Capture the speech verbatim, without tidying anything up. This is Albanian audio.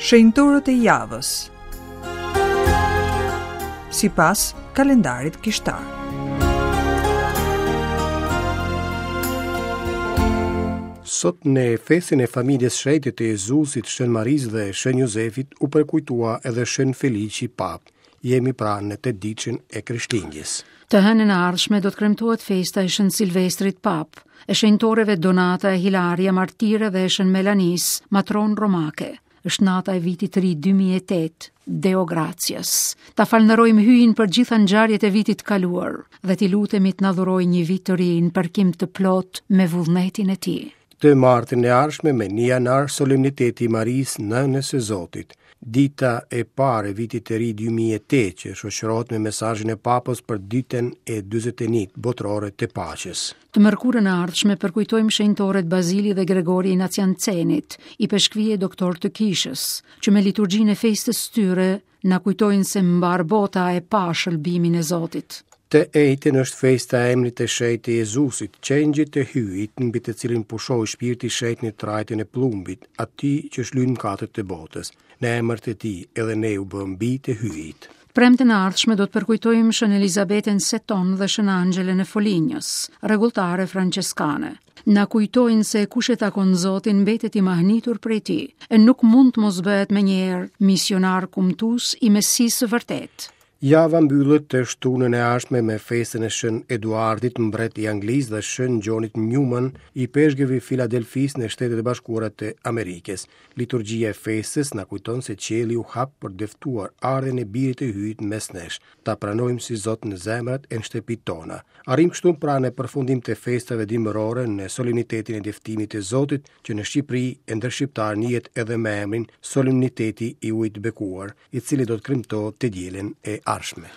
Shenjtorët e javës sipas kalendarit kishtar. Sot në festën e familjes shenjte të Jezusit, Shën Marisë dhe Shën Jozefit u përkujtua edhe Shën Felici Papë. Jemi pra në tetëditëshin e Krishtlindjes. Të hënën e ardhshme do të kremtohet festa e Shën Silvestrit Papë, e shenjtoreve Donata e Hilaria Martire dhe e Shën Melanis, matron romake. Është nata e vitit të ri dy mijë e tetë, Deo gratias. Ta falënderojmë Hyjin për gjitha ngjarjet e vitit të kaluar dhe t'i lutemi të na dhurojë një vit të ri në përkim të plot me vullnetin e tij. Të martën e ardhshme me një janar solemniteti i Marisë, nënës së Zotit. Dita e parë e vitit të ri dy mijë e tetë që shoqërohet me mesazhin e Papës për ditën e dyzet e një botërore të paqes. Të mërkurën e ardhshme përkujtojmë shenjtorët Bazili dhe Gregori i Naciancenit, i peshkvije doktor të kishës, që me liturgjinë e festës tyre na kujtojnë se mbar bota e pa shëlbimin e Zotit. Të enjten është festa e emrit të shenjtë të Jezusit, qengjit të Hyjit, mbi të cilin pushoi shpirti i shenjtë në trajtën e plumbit, atij që shlyen mëkatet e botës. Në emër të tij edhe ne u bëm bij të Hyjit. Premten e ardhshme do të përkujtojmë Shën Elizabetën Seton dhe Shën Anxhelën e Folinjës, rregulltare franceskane. Na kujtojnë se kush e takon Zotin mbetet i mahnitur prej tij, e nuk mund të mos bëhet menjëherë misionar kumtues i Mesisë së vërtetë. Java mbyllet të shtunën e ardhshme me festën e Shën Eduardit, mbret i Anglisë, dhe Shën Gjonit Newman, i peshkëvi Filadelfisë në Shtetet e Bashkuara të Amerikës. Liturgjia e festës na kujton se qielli u hap për dëftuar ardhjen e birit të Hyjit mes nesh, ta pranojmë si Zot në zemrat e në shtëpitë tona. Arrim kështu pra në përfundim të festave dimërore në solemnitetin e dëftimit të Zotit, që në Shqipëri e ndër shqiptar njihet edhe me emrin Solemniteti i Ujit të Bekuar, i cili do të kremtohet të dielën e ardhshme.